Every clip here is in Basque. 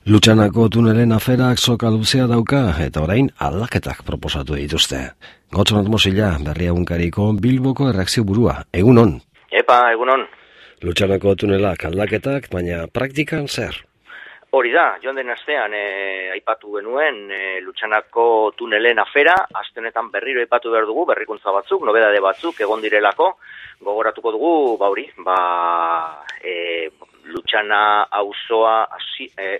Lutxanako tunelen aferak soka luzea dauka eta orain aldaketak proposatu dituzte. Gotxonat Mosilla, Berri Egunkariko Bilboko erreakzio burua. Egunon. Epa, egunon. Lutxanako tunelak aldaketak, baina praktikan zer? Hori da, joan den astean aipatu genuen Lutxanako tunelen afera, aste honetan berriro aipatu behar dugu, berrikuntza batzuk, nobedade batzuk egon direlako, gogoratuko dugu, Lutxana auzoa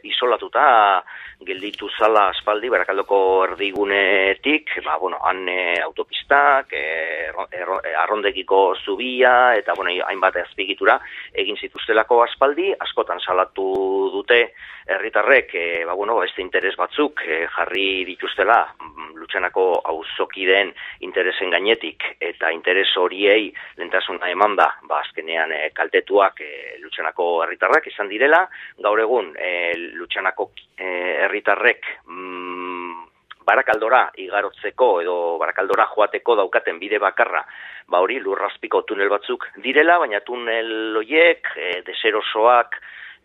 isolatuta gelditu zala aspaldi Barakaldoko erdigunetik, han autopistak, arrondegiko zubia eta hainbat azpiegitura egin zituztelako aspaldi, askotan salatu dute herritarrek beste interes batzuk jarri dituztela Lutxanako auzokideen interesen gainetik eta interes horiei lehentasuna emanda, azkenean kaltetuak Lutxanako herritarrak izan direla. Gaur egun Lutxanako herritarrek Barakaldora igarotzeko edo Barakaldora joateko daukaten bide bakarra, lurrazpiko tunel batzuk direla, baina tunel horiek deserosoak,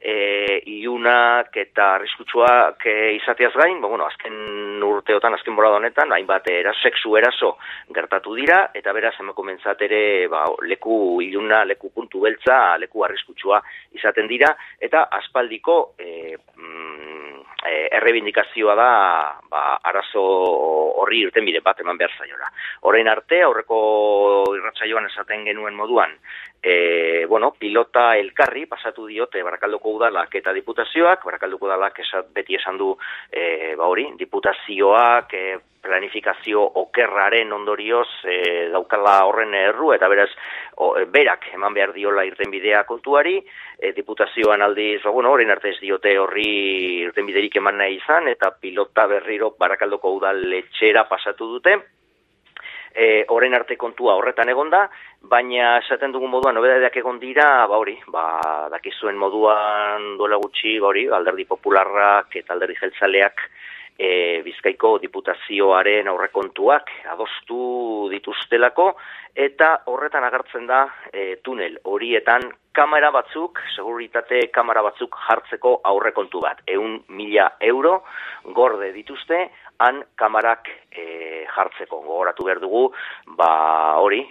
ilunak eta arriskutsuak izateaz gain, azken urteotan, azken bolada honetan, hainbat sexu eraso gertatu dira, eta beraz emakumentzat ere leku iluna, leku puntu beltza, leku arriskutsua izaten dira, eta aspaldiko errebindikazioa da arazo horri irtenbide bat eman behar zaiola. Orain arte, aurreko irratsaioan esaten genuen moduan, pilota elkarri pasatu diote Barakaldoko udalak eta diputazioak. Barakaldoko udalak beti esan du diputazioak planifikazio okerraren ondorioz daukala horren erru, eta beraz berak eman behar diola irtenbidea kontuari. Diputazioan aldiz, orain arte ez diote horri irtenbiderik eman nahi izan, eta pilota berriro Barakaldoko udaletxera pasatu dute. Orain arte kontua horretan egonda, baina esaten dugun moduan nobedadeak egon dira, dakizuen moduan duela gutxi, Alderdi Popularrak eta Alderdi Jeltzaleak Bizkaiko diputazioaren aurrekontuak adostu dituztelako, eta horretan agertzen da tunel horietan kamera batzuk, seguritate kamera batzuk jartzeko aurrekontu bat. 100.000 euro gorde dituzte han kamarak jartzeko. Gogoratu behar dugu,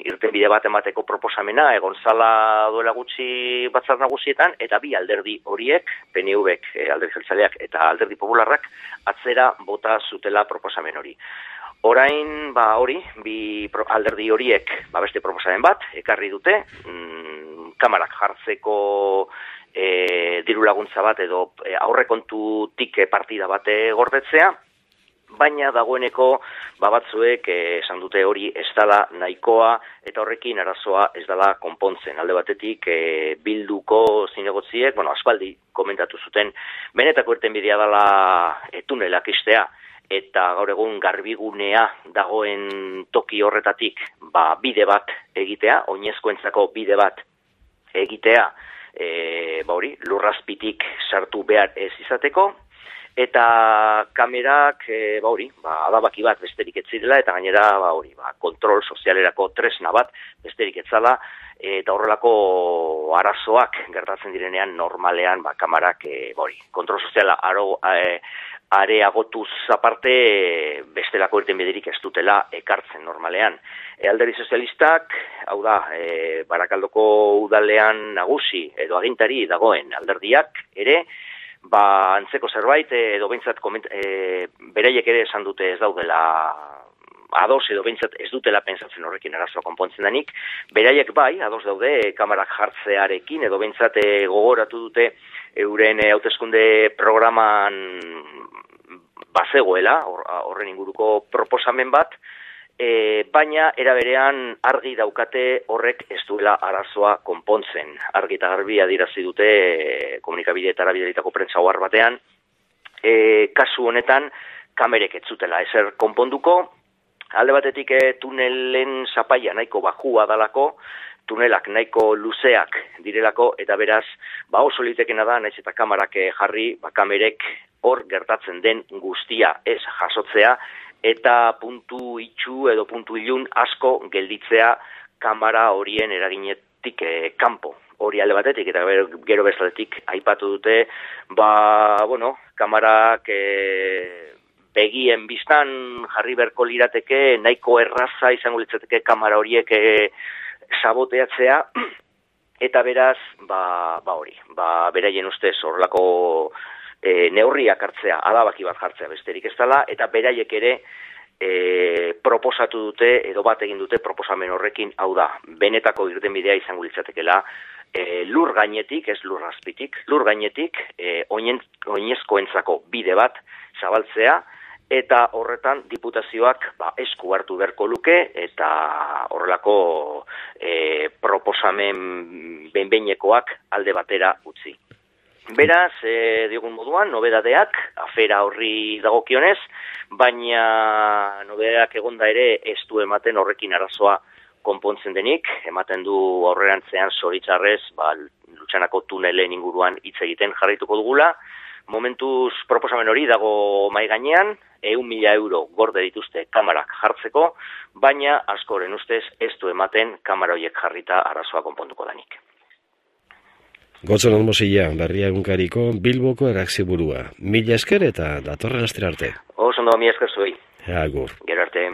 irtenbide bat emateko proposamena egon zala duela gutxi batzar nagusietan, eta bi alderdi horiek, PNV-ek, Alderdi Jeltzaleak eta Alderdi Popularrak, atzera bota zutela proposamen hori. Orain, bi alderdi horiek beste proposamen bat ekarri dute, kamarak jartzeko diru laguntza bat edo aurrekontutik partida bat gordetzea, baina dagoeneko batzuek esan dute hori ez dela nahikoa eta horrekin arazoa ez dela konpontzen. Alde batetik Bilduko zinegotziek, aspaldi komentatu zuten, benetako irtenbidea dela tunelak istea, eta gaur egun garbigunea dagoen toki horretatik bide bat egitea, oinezkoentzako bide bat egitea, lurrazpitik sartu behar ez izateko, eta kamerak, adabaki bat besterik ez zirela, eta gainera, kontrol sozialerako tresna bat besterik ez zala, eta horrelako arazoak gertatzen direnean normalean, kamerak, kontrol soziala areagotuz aparte bestelako irtenbiderik ez dutela ekartzen normalean. Alderdi Sozialistak, hau da, Barakaldoko udalean nagusi edo agintari dagoen alderdiak ere, antzeko zerbait, edo behintzat beraiek ere esan dute ez daudela ados, edo behintzat ez dutela pentsatzen horrekin arazoa konpontzen denik, beraiek ados daude kamarak jartzearekin, edo behintzat gogoratu dute euren hauteskunde programan bazegoela, horren inguruko proposamen bat, baina era berean argi daukate horrek ez duela arazoa konpontzen. Argi eta garbi adierazi dute komunikabideetara bidalitako prentsa ohar batean, kasu honetan kamerek ez zutela ezer konponduko. Alde batetik tunelen zapaia nahiko bajua dalako, tunelak nahiko luzeak direlako, eta beraz, oso litekena da, naiz eta kamarak jarri, kamerek hor gertatzen den guztia ez jasotzea, eta puntu itxu edo puntu ilun asko gelditzea kamera horien eraginetik kanpo. hori alde batetik, eta gero bestaletik aipatu dute, kamarak begien biztan jarri berko lirateke, nahiko erraza izango litzateke kamara horiek saboteatzea, eta beraz, beraien ustez horrelako neurriak hartzea, adabaki bat jartzea besterik ez dela, eta beraiek ere proposatu dute, edo bat egin dute proposamen horrekin, hau da, benetako irtenbidea izango litzatekela, lur gainetik, ez lur azpitik, lur gainetik, oinezkoentzako bide bat zabaltzea, eta horretan diputazioak esku hartu beharko luke, eta horrelako proposamen behin-behinekoak alde batera utzi. Beraz, diogun moduan, nobedadeak, afera horri dagokionez, baina nobedadeak egonda ere ez du ematen horrekin arazoa konpontzen denik, ematen du aurrerantzean zoritzarrez, Lutxanako tunelen inguruan hitz egiten jarraituko dugula. Momentuz proposamen hori dago mai gainean, 100.000 euro gorde dituzte kamarak jartzeko, baina askoren ustez ez du ematen kamara horiek jarrita arazoa konponduko danik. Gotzon Mosilla, Berria egunkariko Bilboko erreakzioburua. Mila esker eta datorren astera arte. Oso ondo, mila esker zuei. Agur. Gero arte.